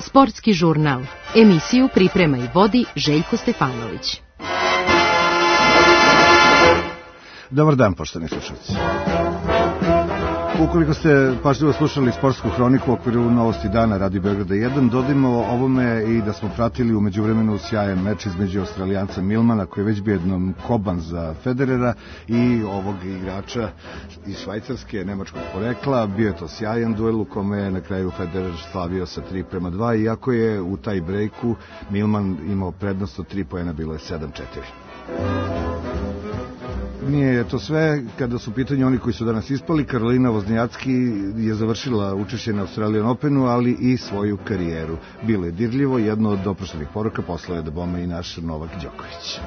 Sportski žurnal. Emisiju priprema i vodi Željko Stefanović. Dobar dan, poštovani slušalci. Ukoliko ste pažljivo slušali sportsku hroniku u okviru Novosti dana Radio Beograda 1, dodajmo ovome i da smo pratili u međuvremenu sjajan meč između Australijanca Milmana, koji je već bio jednom koban za Federera, i ovog igrača iz Švajcarske, nemačkog porekla. Bio je to sjajan duel u kome je na kraju Federer slavio sa 3:2, iako je u taj brejku Milman imao prednost od 3 poena, bilo je 7:4. Nije to sve, kada su u pitanju oni koji su danas ispali. Karolina Voznjacki je završila učešće na Australian Openu, ali i svoju karijeru. Bilo je dirljivo, jedno od oproštenih poruka poslao je da bome i naš Novak Đoković.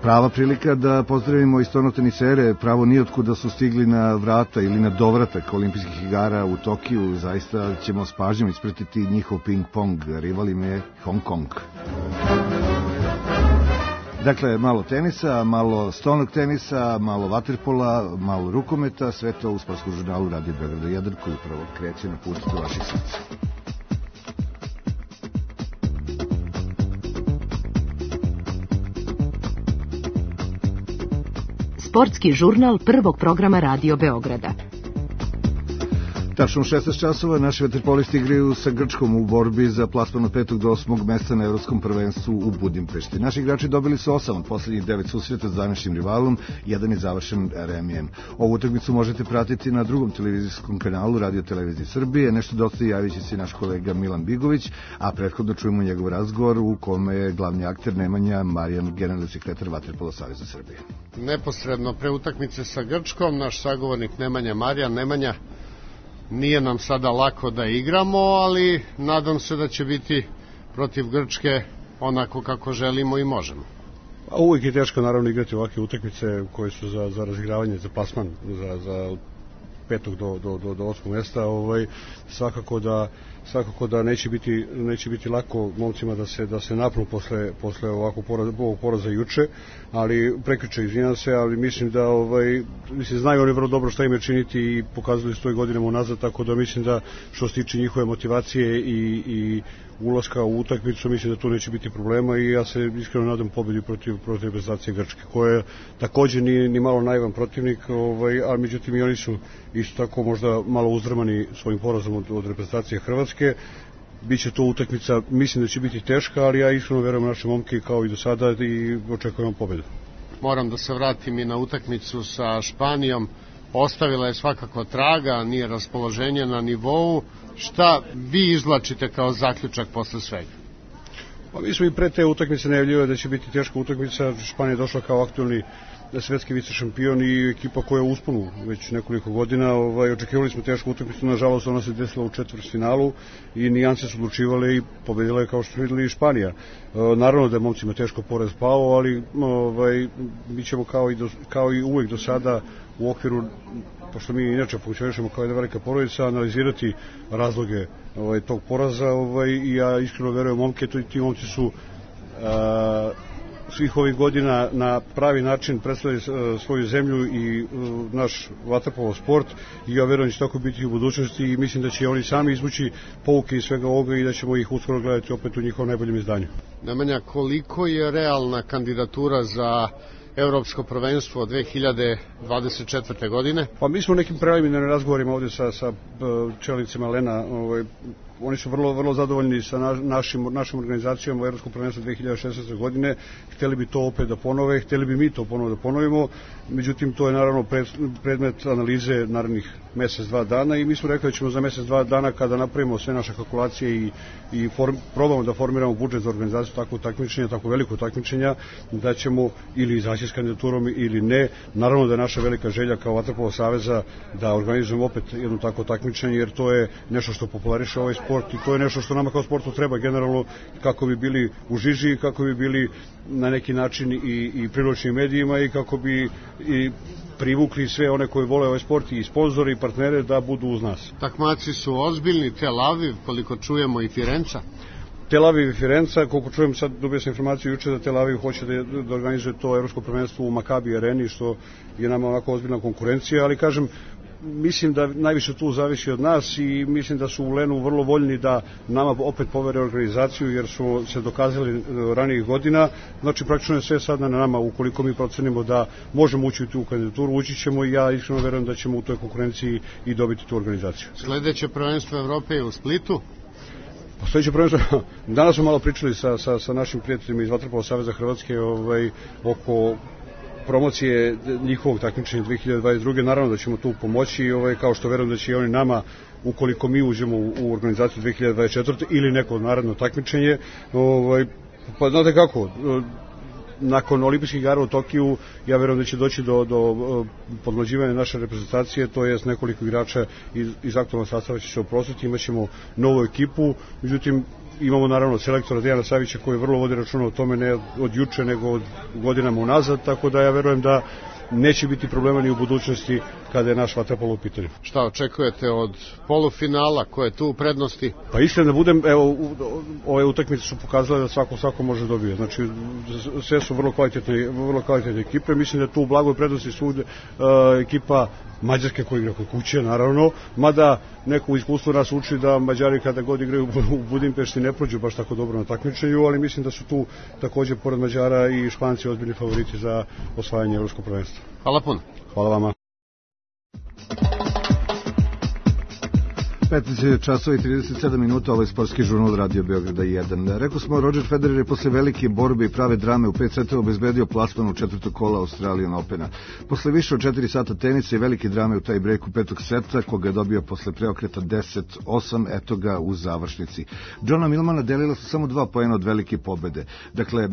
Prava prilika da pozdravimo i stvarno tenisere, pravo nijotkud da su stigli na vrata ili na dovratak olimpijskih igara u Tokiju. Zaista ćemo s pažnjom ispratiti njihov ping-pong, rival im je Hong Kong. Dakle, malo tenisa, malo stolnog tenisa, malo vaterpola, malo rukometa, sve to u sportskom žurnalu Radio Beograda 1, koji upravo kreće na put do vaših srca. Sportski žurnal prvog programa Radio Beograda. Tačno u 16 časova naši vaterpolisti igraju sa Grčkom u borbi za plasman od 5. do 8. mesta na Evropskom prvenstvu u Budimpešti. Naši igrači dobili su 8 od poslednjih 9 susreta s današnjim rivalom, jedan je završen remijem. Ovu utakmicu možete pratiti na drugom televizijskom kanalu Radio Televizije Srbije. Nešto dosta javit će se naš kolega Milan Bigović, a prethodno čujemo njegov razgovor u kome je glavni akter Nemanja Marijan, generalni sekretar Vaterpolo saveza Srbije. Neposredno pre utakmice sa Grčkom, naš sagovornik Nemanja Marijan. Nemanja, nije nam sada lako da igramo, ali nadam se da će biti protiv Grčke onako kako želimo i možemo. Uvijek je teško naravno igrati ovakve utakmice koje su za razigravanje, za plasman, za 5. do 8. mesta. Svakako da neće biti lako momcima da se napnu posle ovog poraza juče, ali prekjuče, izvinjam se, ali mislim da znaju oni vrlo dobro šta im je činiti i pokazali su to i godinama unazad, tako da mislim da što se tiče njihove motivacije i ulaska u utakmicu, mislim da tu neće biti problema i ja se iskreno nadam pobedi protiv reprezentacije Grčke, koja takođe nije ni malo naivan protivnik, ali međutim i oni su isto tako možda malo uzdrmani svojim porazom od reprezentacije Hrvatske. Biće to utakmica, mislim da će biti teška, ali ja iskreno verujem naše momke kao i do sada i očekujem pobedu. Moram da se vratim i na utakmicu sa Španijom. Ostavila je svakako traga, nije raspoloženje na nivou. Šta vi izvlačite kao zaključak posle svega? Pa mi smo i pre te utakmice najavljivali da će biti teška utakmica. Španija je došla kao aktuelni svetski vice šampion i ekipa koja je u usponu već nekoliko godina. Očekivali smo tešku utakmicu, nažalost ona se desila u četvrtfinalu i nijanse su odlučivale i pobedila je, kao što smo videli, Španija. Naravno da je momcima teško poraz pao, ali mi ćemo kao i uvek do sada u okviru, pošto mi inače funkcionišemo kao jedna velika porodica, analizirati razloge tog poraza i ja iskreno verujem momke, ti momci su svih ovih godina na pravi način predstavljaju svoju zemlju i naš vaterpolo sport i ja verujem da će tako biti u budućnosti i mislim da će oni sami izvući pouke iz svega ovoga i da ćemo ih uskoro gledati opet u njihovom najboljem izdanju. Nemanja, koliko je realna kandidatura za Evropsko prvenstvo od 2024. godine? Pa mi smo u nekim preliminarnim razgovorima ovde sa čelnicima Lena. Oni su vrlo zadovoljni sa našim organizacijom u Evropskom prvenstvu 2016. godine. Hteli bi to opet da ponove, hteli bi mi to ponovo da ponovimo. Međutim, to je naravno predmet analize narednih mesec, 2 dana i mi smo rekli da ćemo za mesec, 2 dana kada napravimo sve naše kalkulacije i probamo da formiramo budžet za organizaciju takvog takmičenja, tako veliko takmičenja, da ćemo ili izaći s kandidaturom ili ne. Naravno da je naša velika želja kao Vaterpolo saveza da organizujemo opet jedno takvo takmičenje, jer to je nešto što populariše ovaj sport i to je nešto što nama kao sportu treba generalno kako bi bili u žiži, kako bi bili na neki način i privlačni medijima i kako bi i privukli sve one koji vole ovaj sport i sponzori i partnere da budu uz nas. Takmaci su ozbiljni, Tel Aviv, koliko čujemo i Firenca. Tel Aviv i Firenca, koliko čujem sad, dobio sam informaciju juče da Tel Aviv hoće da organizuje to evropsko prvenstvo u Makabi areni, što je nama onako ozbiljna konkurencija, ali kažem, mislim da najviše tu zavisi od nas i mislim da su u Lenu vrlo voljni da nama opet povere organizaciju, jer su se dokazali ranijih godina. Znači praktično je sve sad na nama, ukoliko mi procenimo da možemo ući u tu kandidaturu, ući ćemo i ja iskreno verujem da ćemo u toj konkurenciji i dobiti tu organizaciju. Sledeće prvenstvo Evrope je u Splitu. Sledeće prvenstvo, danas smo malo pričali sa našim prijateljima iz Vaterpolo saveza Hrvatske oko promocije njihovog takmičenja 2022. Naravno da ćemo tu pomoći, kao što verujem da će i oni nama, ukoliko mi uđemo u organizaciju 2024. ili neko naredno takmičenje. Pa znate kako, nakon olimpijskih igara u Tokiju, ja verujem da će doći do podmlađivanja naše reprezentacije, to jest nekoliko igrača iz aktualnog sastava će se oprostiti, imat ćemo novu ekipu, međutim imamo naravno selektora Dejana Savića koji vrlo vodi računa o tome, ne od juče nego od godinama unazad, tako da ja verujem da neće biti problema ni u budućnosti kada je naš vaterpolo u pitanju. Šta očekujete od polufinala, ko je tu u prednosti? Pa iskreno da budem, evo, ove utakmice su pokazale da svako može dobije. Znači, sve su vrlo kvalitetne ekipe. Mislim da tu u blagoj prednosti su ekipa Mađarske koja igra kod kuće, naravno, mada neko iskustvo nas uči da Mađari kada god igraju u Budimpešti ne prođu baš tako dobro na takmičenju, ali mislim da su tu takođe pored Mađara i Španci ozbiljni favoriti za osvajanje evropskog prvenstva. Hvala puno. Hvala vama. 15 časova i 37 minuta, ovaj sportski žurnal Radio Beograda 1. Rekao smo, Roger Federer je posle velike borbe i prave drame u 5 setova obezbedio plasman u četvrtog kola Australian Opena. Posle više od 4 sata tenisa i velike drame u taj breaku petog seta, koga je dobio posle preokreta 10-8, eto ga u završnici. Johna Millmana delila su samo 2 poena od velike pobede. Dakle,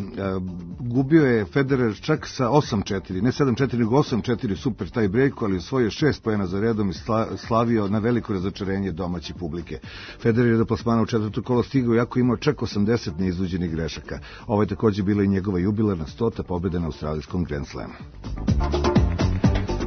gubio je Federer čak sa 8-4, ne 7-4, nego 8-4 super taj breaku, ali osvojio 6 poena za redom i slavio na veliko razočarenje domaće publike. Federer je do plasmana u četvrto kolo stigao, iako imao čak 80 neiznuđenih grešaka. Ovo je takođe bila i njegova jubilarna 100. pobjeda na australijskom Grand Slamu.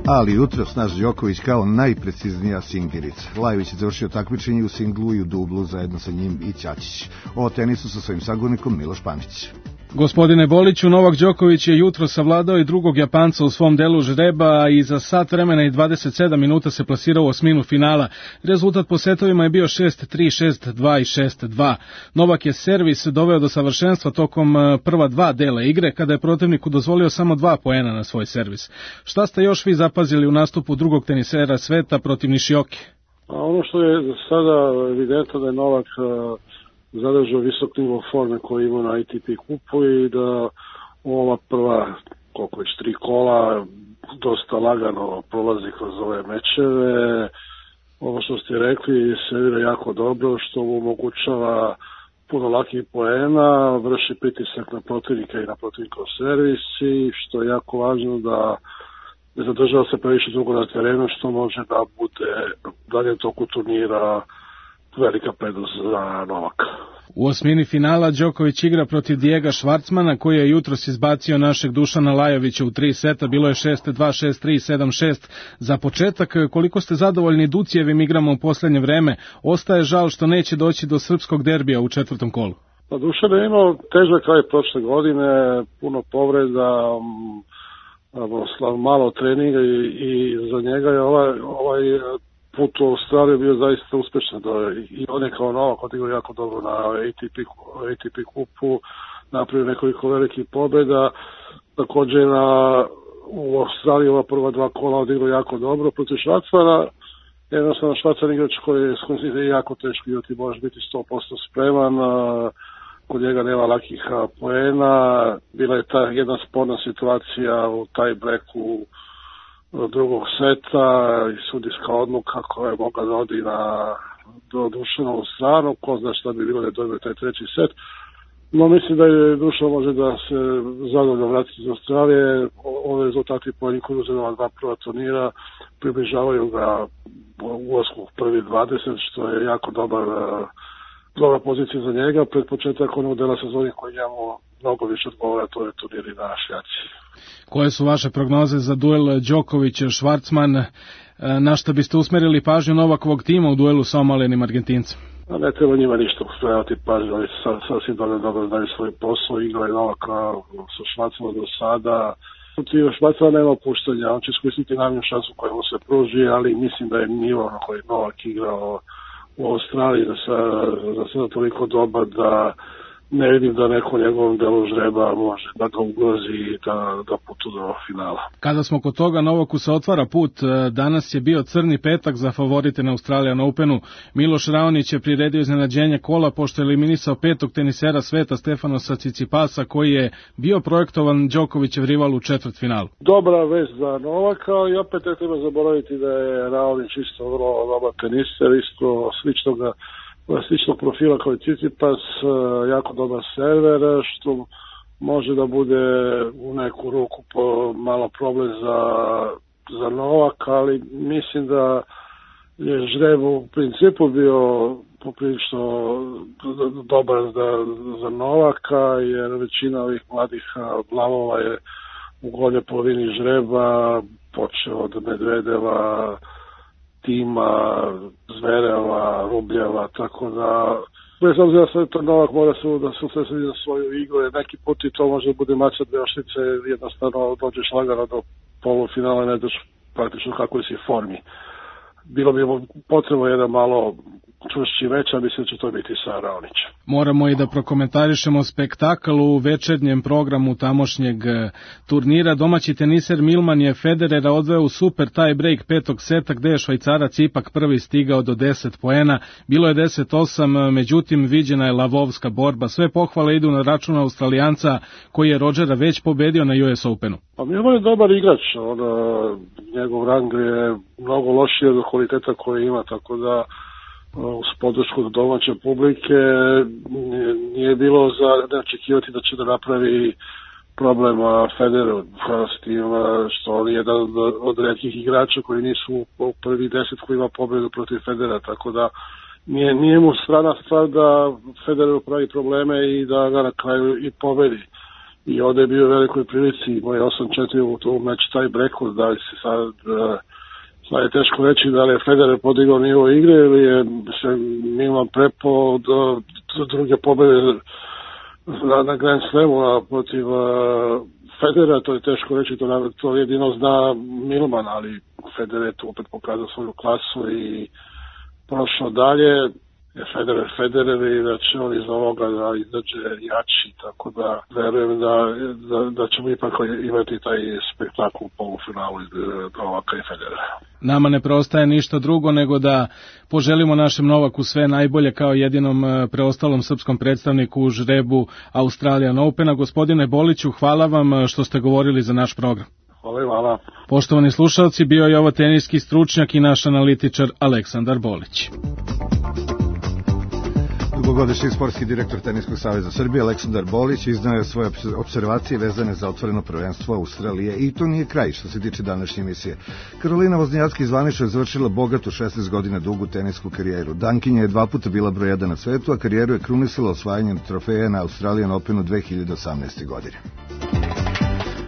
Ali jutros naš Đoković kao najpreciznija singerica. Lajović je završio takmičenje u singlu i u dublu zajedno sa njim i Ćačić. O tenisu sa svojim sagovornikom Miloš Pamić. Gospodine Boliću, Novak Đoković je jutro savladao i drugog Japanca u svom delu žreba i za sat vremena i 27 minuta se plasirao u osminu finala. Rezultat po setovima je bio 6-3, 6-2 i 6-2. Novak je servis doveo do savršenstva tokom prva 2 dela igre, kada je protivniku dozvolio samo 2 poena na svoj servis. Šta ste još vi zapazili u nastupu drugog tenisera sveta protiv Nišioki? Ono što je sada evidentno da je Novak zadržao visok nivo forme koji ima na ATP kupu i da ova prva, koliko već 3 kola, dosta lagano prolazi kroz ove mečeve. Ovo što ste rekli, servira jako dobro, što mu omogućava puno lakih poena, vrši pritisak na protivnika i na protivnikov servis i što je jako važno da ne zadržava se previše dugo na terenu, što može da bude dalje toku turnira velika prednost za Novaka. U osmini finala Đoković igra protiv Dijega Švarcmana, koji je jutros izbacio našeg Dušana Lajovića u 3 seta, bilo je 6-2, 6-3, 7-6. Za početak, koliko ste zadovoljni Ducijevim igrama u poslednje vreme? Ostaje žal što neće doći do srpskog derbija u četvrtom kolu. Pa Dušan je imao težak kraj prošle godine, puno povreda, malo treninga i za njega je ovaj put u Australiju bio zaista uspešan. I on je kao Novak odigrao jako dobro na ATP kupu, napravio nekoliko velikih pobjeda. Također u Australiji ova prva 2 kola odigrao jako dobro protiv Švarcmana. Jednostavno Švarcman igrač koji je jako teško igrati, možeš biti 100% spreman. Kod njega nema lakih poena. Bila je ta jedna sporna situacija u taj breaku drugog seta i sudijska odluka koja je mogla da odi do Dušanovu stranu, ko zna šta bi bilo da je dobio taj treći set. No mislim da je Dušan može da se zadovoljno vratiti iz Australije. Ove rezultati po njih uzela 2 prva turnira približavaju ga ulasku u prvi 20, što je jako dobra pozicija za njega. Pred početak onog dela sezoni koji njemu mnogo više odgovara, to je turniri na šljaci. Koje su vaše prognoze za duel Đoković-Švarcman? Na što biste usmerili pažnju Novakovog tima u duelu sa omaljenim Argentincem? ne treba njima ništa ustrajati pažnju, oni sasvim dobro znaju svoj posao, igra je Novaka sa Švacima do sada. Protiv Švacima nema opuštanja, on će iskoristiti najmanju šansu koja mu se pruži, ali mislim da je nivo na koji Novak igrao u Australiji za sada toliko dobar da ne vidim da neko njegovom delu žreba može da ga ugrozi i da putu do finala. Kada smo kod toga, Novaku se otvara put. Danas je bio crni petak za favorite na Australian Openu. Miloš Raonić je priredio iznenađenje kola pošto je eliminisao 5. tenisera sveta Stefanosa Tsitsipasa koji je bio projektovan Đokovićev rival u četvrtfinalu. Dobra vest za Novaka i opet ne treba zaboraviti da je Raonić isto vrlo dobar teniser, isto sličnog profila kao i Tsitsipas, jako dobar server, što može da bude u neku ruku malo problem za Novaka, ali mislim da je žreb u principu bio poprilično dobar za Novaka, jer većina ovih mladih glavova je u gornjoj polovini žreba, počeo od Medvedeva, Tima, Zvereva, Rubljeva, tako da bez obzira sve to Novak mora da se usredsredi na svoju igru, jer neki put i to može bude mača dve oštrice, jednostavno dođeš lagano do polufinala, ne daš praktično kako si formi. Bilo bi potrebno jedan malo čvršći več, a mislim da će to biti sa Raonićem. Moramo i da prokomentarišemo spektakl u večernjem programu tamošnjeg turnira. Domaći teniser Milman je Federera odveo u super tie break 5. seta gde je Švajcarac ipak prvi stigao do 10 poena. Bilo je 10-8, međutim viđena je lavovska borba. Sve pohvale idu na račun Australijanca koji je Rodgera već pobedio na US Openu. Pa Milman je dobar igrač, njegov rang je mnogo lošiji od kvaliteta koje ima, tako da uz podršku domaće publike nije bilo za ne očekivati da će da napravi problem Federeru, s tim što on je jedan od retkih igrača koji nisu u prvi 10 koji ima pobedu protiv Federera, tako da nije mu strana stvar da Federeru pravi probleme i da ga na kraju i pobedi. I ovdje je bio u velikoj prilici, imao je 8-4 u meč taj breku, da li se sad je teško reći da li je Federer podigao nivo igre ili je se Milan prepao do druge pobede na Grand Slamu protiv Federera, to je teško reći, to jedino zna Milman, ali Federer je tu opet pokazao svoju klasu i prošao dalje. Federer i da će on iz ovoga da izađe jači, tako da verujem da ćemo ipak imati taj spektakl u polufinalu iz Novaka i Federera. Nama ne preostaje ništa drugo nego da poželimo našem Novaku sve najbolje kao jedinom preostalom srpskom predstavniku u žrebu Australian Opena. Gospodine Boliću, hvala vam što ste govorili za naš program. Hvala. Poštovani slušalci, bio je ovo teniski stručnjak i naš analitičar Aleksandar Bolić. Dugogodišnji sportski direktor Teniskog saveza Srbije Aleksandar Bolić iznao je svoje observacije vezane za otvoreno prvenstvo Australije i to nije kraj što se tiče današnje emisije. Karolina Voznjacki zvanično je završila bogatu 16 godina dugu tenisku karijeru. Dankinja je 2 puta bila broj 1 na svetu, a karijeru je krunisala osvajanjem trofeja na Australian Openu 2018. godine.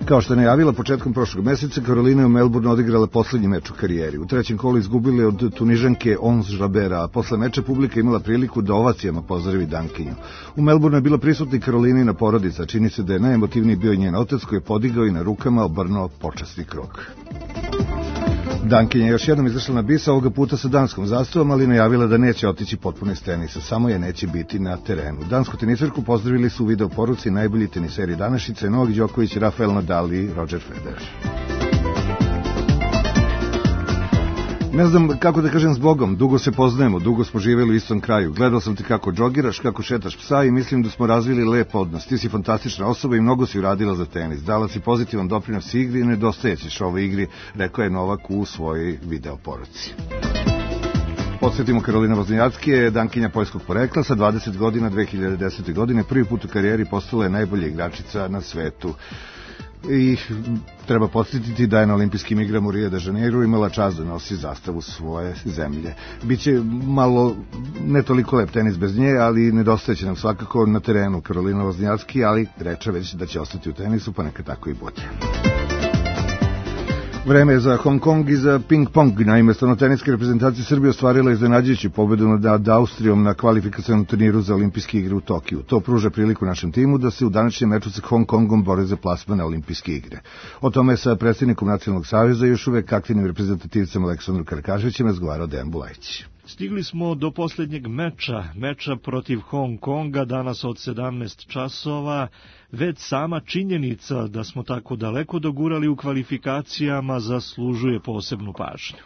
Kao što je najavila početkom prošlog meseca, Karolina je u Melbourneu odigrala poslednji meč u karijeri. U trećem kolu izgubili od Tunižanke Ons Jabera, a posle meča publika imala priliku da ovacijama pozdravi Dankinju. U Melbourneu je bila prisutna Karolinina porodica, čini se da je najemotivniji bio njen otac koji je podigao i na rukama obrnuo počasni krug. Dankinja je još jednom izašla na bis, ovoga puta sa danskom zastavom, ali najavila da neće otići potpuno iz tenisa, samo je neće biti na terenu. Dansku teniserku pozdravili su u video poruci najbolji teniseri današnjice, Novak Đoković, Rafael Nadal i Roger Federer. Ne znam kako da kažem zbogom, dugo se poznajemo, dugo smo živjeli u istom kraju. Gledao sam te kako džogiraš, kako šetaš psa i mislim da smo razvili lep odnos. Ti si fantastična osoba i mnogo si uradila za tenis. Dala si pozitivan doprinos igri i nedostajećeš ovoj igri, rekao je Novak u svojoj video poruci. Podsjetimo, Karolina Voznjacki je Dankinja poljskog porekla, sa 20 godina 2010. godine prvi put u karijeri postala je najbolja igračica na svetu. I treba podsjetiti da je na olimpijskim igrama u Rio de Janeiro imala čast da nosi zastavu svoje zemlje. Biće malo ne toliko lep tenis bez nje, ali nedostajeće nam svakako na terenu Karolina Voznjacki, ali reče već da će ostati u tenisu, pa neka tako i bude. Vreme je za Hong Kong i za ping-pong. Naime, stolnoteniska reprezentacija Srbije ostvarila iznenađujuću pobedu nad Austrijom na kvalifikacionom turniru za olimpijske igre u Tokiju. To pruža priliku našem timu da se u današnjem meču sa Hong Kongom bore za plasman na olimpijske igre. O tome je sa predsjednikom Nacionalnog saveza još uvek aktivnim reprezentativcem Aleksandrom Karakaševićem razgovarao Dejan Bulajić. Stigli smo do posljednjeg meča protiv Hong Konga, danas od 17 časova. Već sama činjenica da smo tako daleko dogurali u kvalifikacijama zaslužuje posebnu pažnju.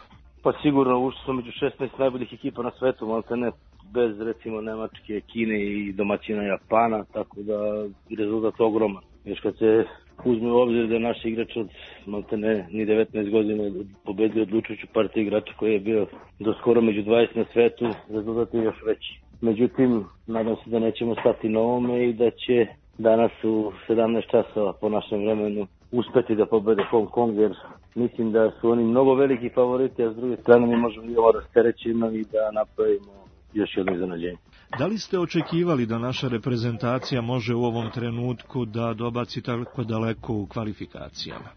Pa sigurno ušli smo među 16 najboljih ekipa na svetu, maltene bez recimo Nemačke, Kine i domaćina Japana, tako da je rezultat ogroman. Još kad se uzme u obzir da je naš igrač od maltene ni 19 godina pobedio odlučujuću partiju igrača koji je bio do skoro među 20 na svetu, rezultat je još veći. Međutim, nadam se da nećemo stati na ovome i da će danas u 17 časova po našem vremenu uspeti da pobede Hong Kong, jer mislim da su oni mnogo veliki favoriti, a s druge strane mi možemo i ovo rasterećeno i da napravimo još jedno iznenađenje. Da li ste očekivali da naša reprezentacija može u ovom trenutku da dobaci tako daleko u kvalifikacijama?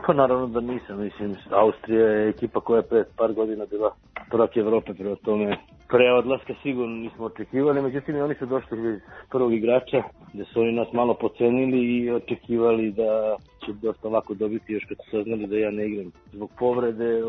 Pa naravno da nisam. Mislim, Austrija je ekipa koja je pred par godina bila prvak Evrope, prema tome pre odlaska sigurno nismo očekivali, međutim oni su došli iz prvog igrača, gde su oni nas malo pocenili i očekivali da će dosta lako dobiti, još kad su saznali da ja ne igram zbog povrede,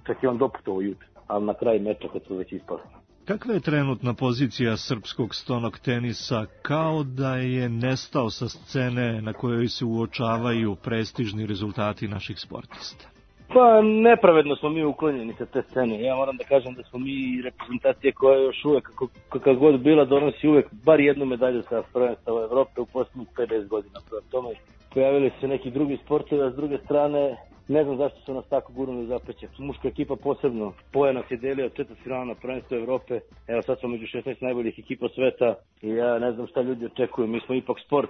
čak i on doputovao juče, ali na kraju meča kad su već ispali. Kakva je trenutna pozicija srpskog stonog tenisa, kao da je nestao sa scene na kojoj se uočavaju prestižni rezultati naših sportista? Pa nepravedno smo mi uklonjeni sa te scene. Ja moram da kažem da smo mi reprezentacija koja još uvek, kakva god bila, donosi uvek bar jednu medalju sa prvenstva Evrope u posljednjih 50 godina. Prema tome pojavili se neki drugi sportovi, a s druge strane ne znam zašto su nas tako gurnuli u zapećak. Muška ekipa posebno. Poja nas je delio od četvrtfinala na prvenstvu Evrope. Evo sad smo među 16 najboljih ekipa sveta i ja ne znam šta ljudi očekuju. Mi smo ipak sport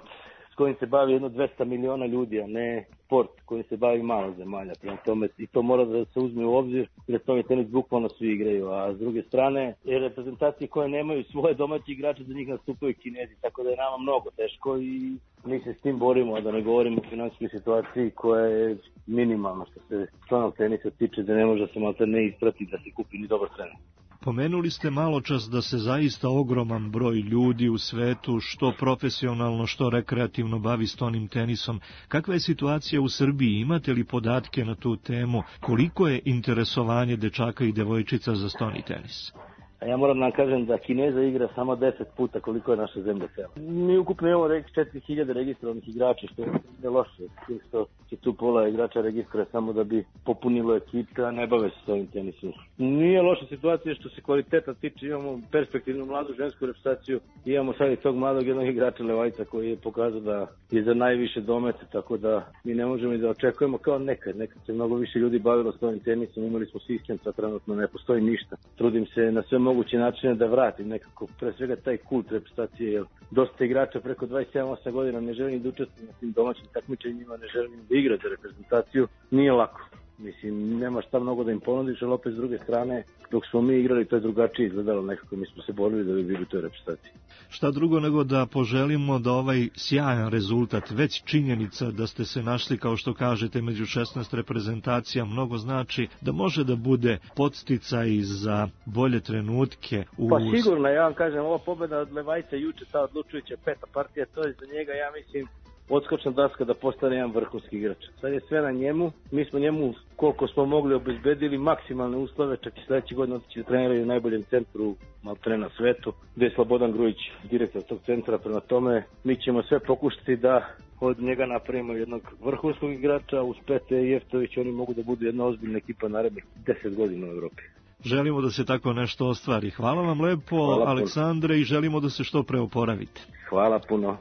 s kojim se bavi jedno 200 miliona ljudi, a ne sport kojim se bavi malo zemalja. Prema tome i to mora da se uzme u obzir, jer to tenis bukvalno svi igraju. A s druge strane, reprezentacije koje nemaju svoje domaće igrače, za njih nastupaju Kinezi, tako da je nama mnogo teško i mi se s tim borimo, a da ne govorimo o finansijskoj situaciji koja je minimalna što se stonog tenisa tiče, da ne može se malo ne isprati da se kupi ni dobar trener. Pomenuli ste malo čas da se zaista ogroman broj ljudi u svetu, što profesionalno, što rekreativno bavi stonim tenisom. Kakva je situacija u Srbiji? Imate li podatke na tu temu? Koliko je interesovanje dečaka i devojčica za stoni tenis? A ja moram da vam kažem da Kineza igra samo 10 puta koliko je naša zemlja cela. Mi ukupno imamo 4000 registrovanih igrača, što je loše. Što će tu pola igrača registra samo da bi popunilo ekipa, a ne bave se s ovim tenisom. Nije loša situacija što se kvaliteta tiče, imamo perspektivnu mladu žensku reprezentaciju, imamo sad i tog mladog jednog igrača Levajca koji je pokazao da je za najviše domete, tako da mi ne možemo i da očekujemo kao nekad. Nekad se mnogo više ljudi bavilo s ovim tenisom, imali smo sistem, sad trenutno ne postoji ništa. Trudim se na sve moguće načine da vratim nekako, pre svega taj kult reprezentacije, jer dosta igrača preko 27-8 godina ne želi ni da učestvuje na tim domaćim takmičenjima, ne želi ni da igra za reprezentaciju, nije lako. Mislim, nema šta mnogo da im ponudiš, ali opet s druge strane, dok smo mi igrali, to je drugačije izgledalo nekako, mi smo se borili da bi bili u toj reprezentaciji. Šta drugo nego da poželimo da ovaj sjajan rezultat, već činjenica da ste se našli, kao što kažete, među 16 reprezentacija, mnogo znači da može da bude podsticaj za bolje trenutke. Pa sigurno, ja vam kažem, ova pobjeda od Levajca juče, ta odlučujuća peta partija, to je za njega, ja mislim, odskočna daska da postane jedan vrhunski igrač. Sad je sve na njemu, mi smo njemu koliko smo mogli obezbedili maksimalne uslove, čak i sledeći godin otići da treniraju u najboljem centru maltene na svetu, gde je Slobodan Grujić, direktor tog centra. Prema tome mi ćemo sve pokušati da od njega napravimo jednog vrhunskog igrača, uz Pete i Jeftović oni mogu da budu jedna ozbiljna ekipa narednih 10 godina u Evropi. Želimo da se tako nešto ostvari. Hvala vam lepo, Aleksandre, i želimo da se što pre oporavite. Hvala puno.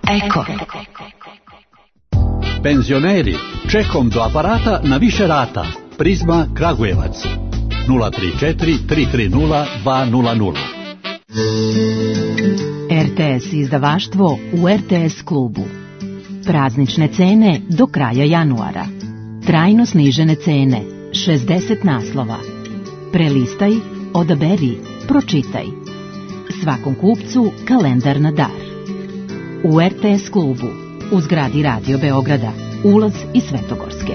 Eko. Penzioneri, čekom do aparata na više rata. Prizma Kragujevac 034 330 200. RTS izdavaštvo u RTS klubu. Praznične cene do kraja januara. Trajno snižene cene, 60 naslova. Prelistaj, odaberi, pročitaj. Svakom kupcu kalendar na dar. U RTS klubu u zgradi Radio Beograda, ulaz iz Svetogorske.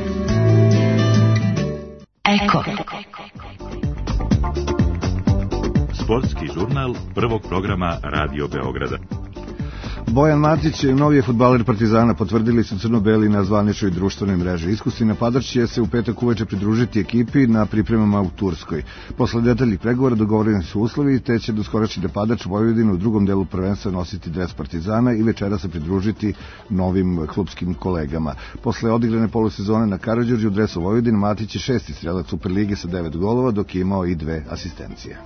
Eko. Sportski žurnal prvog programa Radio Beograda. Bojan Matić, novi je fudbaler Partizana, potvrdili su crno-beli na zvaničnoj društvenoj mreži. Iskusni napadač će se u petak uveče pridružiti ekipi na pripremama u Turskoj. Posle detaljnih pregovora dogovoreni su uslovi, te će doskorašnji napadač Vojvodine u drugom delu prvenstva nositi dres Partizana i večera se pridružiti novim klubskim kolegama. Posle odigrane polusezone na Karađorđu u dresu Vojvodine, Matić je 6. strelac Superlige sa 9 golova, dok je imao i 2 asistencije.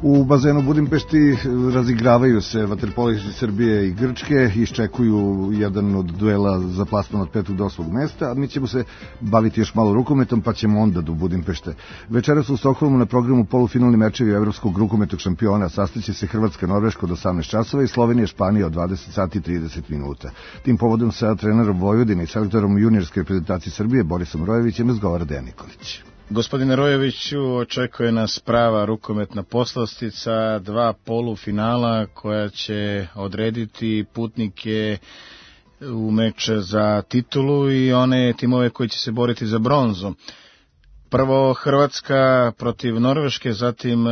U bazenu Budimpešti razigravaju se vaterpolisti Srbije i Grčke, iščekuju jedan od duela za plasman od 5. do 8. mesta, a mi ćemo se baviti još malo rukometom, pa ćemo onda do Budimpešte. Večeras u Stokholmu na programu polufinalni mečevi Evropskog rukometnog šampiona, sastaće se Hrvatska-Norveška od 18 časova i Slovenija-Španija od 20 sati i 30 minuta. Tim povodom sa trenerom Vojvodine i selektorom juniorske reprezentacije Srbije Borisom Rojevićem razgovara Dejan Nikolić. Gospodine Rojeviću, očekuje nas prava rukometna poslastica, 2 polufinala koja će odrediti putnike u meč za titulu i one timove koji će se boriti za bronzu. Prvo Hrvatska protiv Norveške, zatim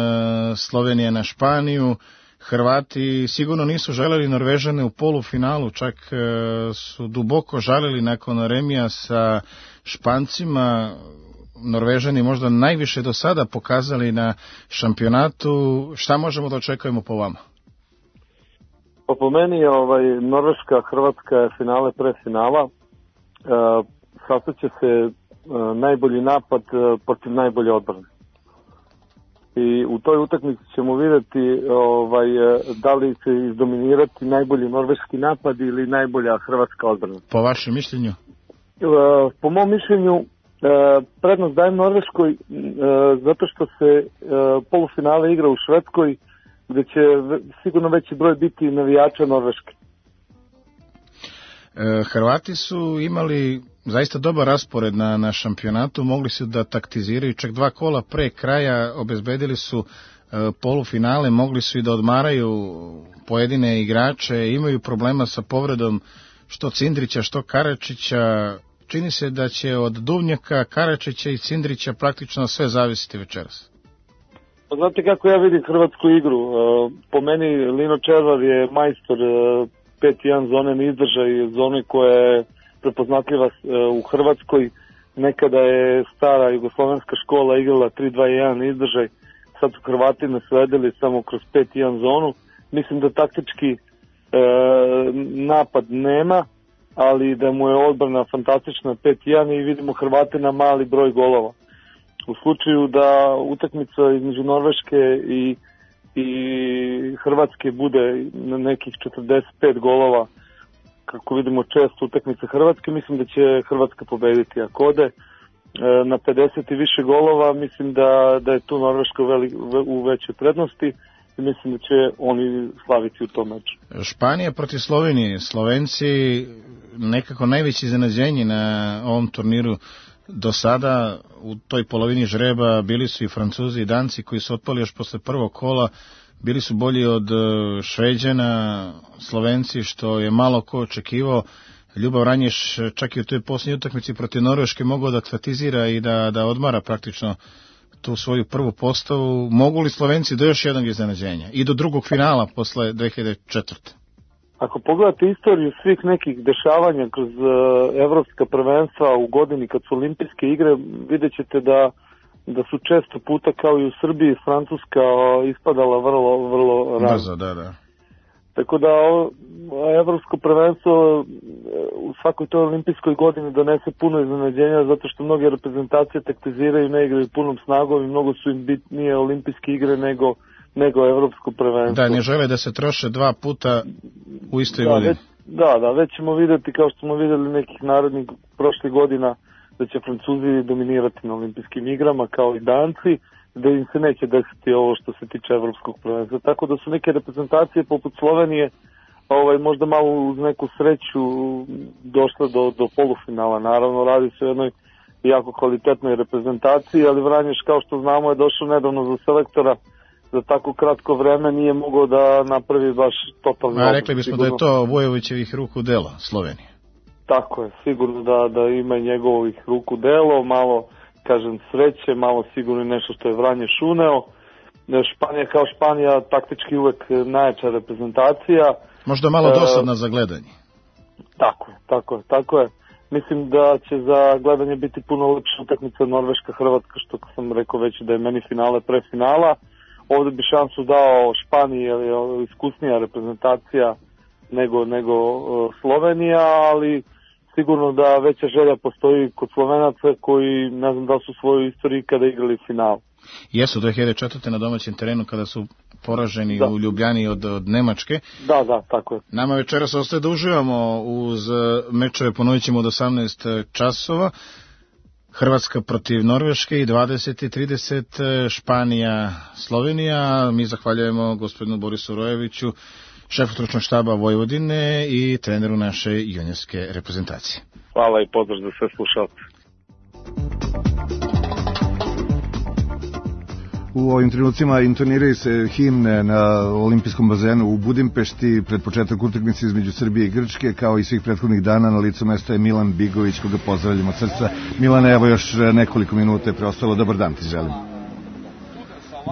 Slovenija na Španiju. Hrvati sigurno nisu želeli Norvežane u polufinalu, čak su duboko žalili nakon remija sa Špancima. Norvežani možda najviše do sada pokazali na šampionatu. Šta možemo da očekujemo po vama? Pa po meni Norveška, Hrvatska je finale pre finala. Sastaće se najbolji napad protiv najbolje odbrane. I u toj utakmici ćemo vidjeti da li će izdominirati najbolji norveški napad ili najbolja hrvatska odbrana. Po vašem mišljenju? Po mom mišljenju prednost dajem Norveškoj zato što se polufinale igra u Švedskoj, gde će sigurno veći broj biti navijača Norveške. Hrvati su imali zaista dobar raspored na šampionatu, mogli su da taktiziraju, čak 2 kola pre kraja obezbedili su polufinale, mogli su i da odmaraju pojedine igrače, imaju problema sa povredom što Cindrića, što Karačića. Čini se da će od Duvnjaka, Karačića i Cindrića praktično sve zavisiti večeras. Znate kako ja vidim hrvatsku igru? Po meni Lino Červar je majstor 5-1 zone, ne izdržaj zone koja je prepoznatljiva u Hrvatskoj. Nekada je stara jugoslovenska škola igrala 3-2-1 izdržaj, sad su Hrvati nasledili samo kroz 5-1 zonu. Mislim da taktički napad nema, ali da mu je odbrana fantastična 5-1 i vidimo Hrvate na mali broj golova. U slučaju da utakmica između Norveške i Hrvatske bude na nekih 45 golova, kako vidimo često utakmice Hrvatske, mislim da će Hrvatska pobediti. Ako ode na 50 i više golova, mislim da je tu Norveška u većoj prednosti i mislim da će oni slaviti u tom meču. Španija protiv Slovenije. Slovenci nekako najveće iznenađenje na ovom turniru do sada. U toj polovini žreba bili su i Francuzi i Danci koji su otpali još posle prvog kola. Bili su bolji od Šveđana, Slovenci, što je malo ko očekivao. Ljubav Ranješ čak i u toj posljednjoj utakmici protiv Norveške mogao da aktatizira i da odmara praktično tu svoju prvu postavu. Mogu li Slovenci do još jednog iznenađenja i do drugog finala posle 2004. Ako pogledate istoriju svih nekih dešavanja kroz evropska prvenstva u godini kad su olimpijske igre, vidjet ćete da su često puta kao i u Srbiji Francuska ispadala vrlo rano. Brzo, da. Tako da evropsko prvenstvo u svakoj toj olimpijskoj godini donese puno iznenađenja zato što mnoge reprezentacije taktiziraju, ne igraju punom snagom i mnogo su im bitnije olimpijske igre nego evropsko prvenstvo. Da, ne žele da se troše 2 puta u istoj godini. Već ćemo vidjeti, kao što smo vidjeli nekih narodnih prošlih godina, da će Francuzi dominirati na olimpijskim igrama kao i Danci, da im se neće desiti ovo što se tiče evropskog prvenstva. Tako da su neke reprezentacije poput Slovenije možda malo uz neku sreću došle do polufinala. Naravno, radi se o jednoj jako kvalitetnoj reprezentaciji, ali Vranješ, kao što znamo, je došao nedavno za selektora za tako kratko vreme nije mogao da napravi baš totalno. A rekli bismo sigurno da je to Vojovićevih ruku delo Slovenije. Tako je, sigurno da ima njegovih ruku delo, malo, kažem, sreće, malo sigurno nešto što je Vranje šuneo. Španija kao Španija taktički uvek najjača reprezentacija. Možda malo dosadna za gledanje. Tako je. Mislim da će za gledanje biti puno lepša utakmica Norveška-Hrvatska, što sam rekao već da je meni finale pre finala. Ovde bi šansu dao Španiji, jer je iskusnija reprezentacija nego Slovenija, ali sigurno da veća želja postoji kod Slovenaca koji ne znam da su u svojoj istoriji kada igrali final. Jesu 2004. na domaćem terenu kada su poraženi u Ljubljani od Nemačke. Da, tako je. Nama večeras ostaje da uživamo uz mečeve, ponovit ćemo od 18 časova. Hrvatska protiv Norveške i 20:30 Španija, Slovenija. Mi zahvaljujemo gospodinu Borisu Rojeviću, šefu stručnog štaba Vojvodine i treneru naše juniorske reprezentacije. Hvala i pozdrav za sve slušalce. U ovim trenucima intoniraju se himne na olimpijskom bazenu u Budimpešti pred početak utakmice između Srbije i Grčke, kao i svih prethodnih dana. Na licu mesta je Milan Bigović, koga pozdravljamo od srca. Milane, evo još nekoliko minuta je preostalo. Dobar dan ti želim.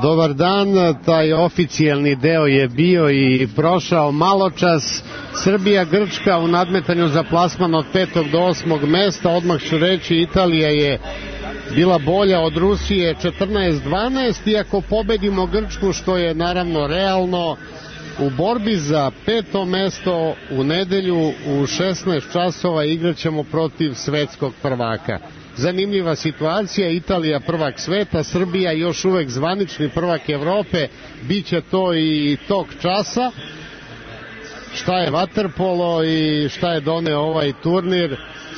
Dobar dan, taj oficijalni deo je bio i prošao maločas. Srbija-Grčka u nadmetanju za plasman od 5. do 8. mesta. Odmah ću reći, Italija je bila bolja od Rusije 14-12, iako pobedimo Grčku, što je naravno realno. U borbi za 5. mesto u nedelju u 16 časova igraćemo protiv svetskog prvaka. Zanimljiva situacija, Italija prvak sveta, Srbija još uvek zvanični prvak Evrope, biće to i tog časa. Šta je vaterpolo i šta je doneo ovaj turnir,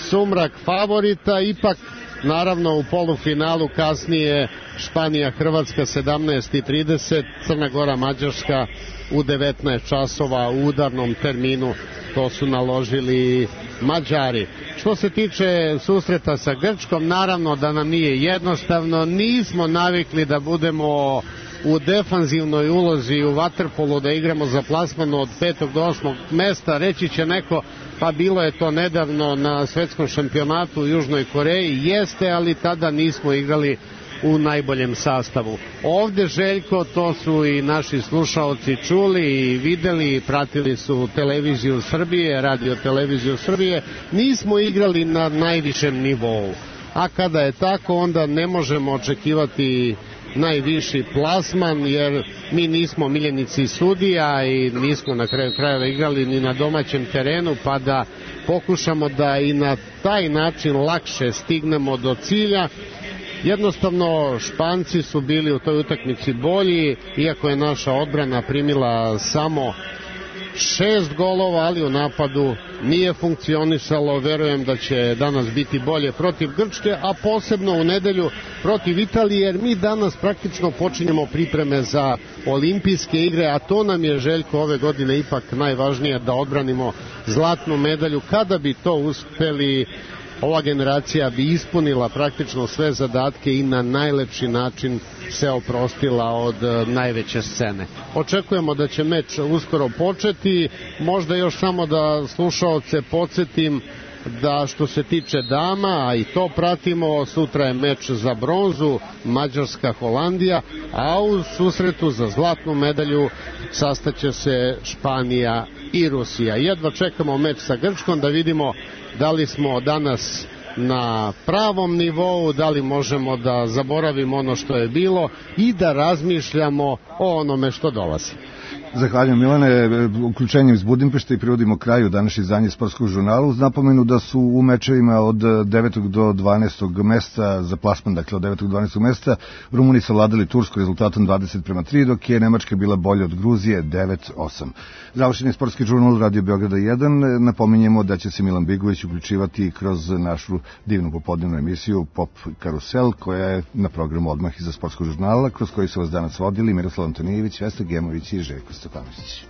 sumrak favorita, ipak naravno u polufinalu kasnije Španija-Hrvatska 17:30, Crna Gora-Mađarska u 19 časova u udarnom terminu, to su naložili Mađari. Što se tiče susreta sa Grčkom, naravno da nam nije jednostavno, nismo navikli da budemo u defanzivnoj ulozi u vaterpolu, da igramo za plasman od 5. do 8. mesta. Reći će neko, pa bilo je to nedavno na svetskom šampionatu u Južnoj Koreji, jeste, ali tada nismo igrali u najboljem sastavu. Ovde, Željko, to su i naši slušaoci čuli i videli, pratili su televiziju Srbije, radio televiziju Srbije, nismo igrali na najvišem nivou. A kada je tako, onda ne možemo očekivati najviši plasman, jer mi nismo miljenici sudija i nismo na kraju krajeva igrali ni na domaćem terenu, pa da pokušamo da i na taj način lakše stignemo do cilja. Jednostavno, Španci su bili u toj utakmici bolji, iako je naša odbrana primila samo 6 golova, ali u napadu nije funkcionisalo. Verujem da će danas biti bolje protiv Grčke, a posebno u nedelju protiv Italije, jer mi danas praktično počinjemo pripreme za olimpijske igre, a to nam je, Željko, ove godine ipak najvažnije, da odbranimo zlatnu medalju. Kada bi to uspeli, ova generacija bi ispunila praktično sve zadatke i na najlepši način se oprostila od najveće scene. Očekujemo da će meč uskoro početi, možda još samo da slušaoce podsjetim da što se tiče dama, a i to pratimo, sutra je meč za bronzu, Mađarska-Holandija, a u susretu za zlatnu medalju sastaće se Španija i Rusija. Jedva čekamo meč sa Grčkom da vidimo da li smo danas na pravom nivou, da li možemo da zaboravimo ono što je bilo i da razmišljamo o onome što dolazi. Zahvaljujem, Milane. Uključenjem iz Budimpešte i privodimo kraju današnje izdanje Sportskog žurnala, uz napomenu da su u mečevima od 9. do 12. mesta za plasman, dakle od 9. do 12. mesta, Rumuni savladali Tursku rezultatom 20:3, dok je Nemačka bila bolja od Gruzije 9:8. Završen je Sportski žurnal Radio Beograda 1. Napominjemo da će se Milan Bigović uključivati kroz našu divnu popodnevnu emisiju Pop Karusel, koja je na programu odmah iza Sportskog žurnala, kroz koji su vas danas vodili Miroslav Antonijević, Vesna Gemović i Željko Stefanović.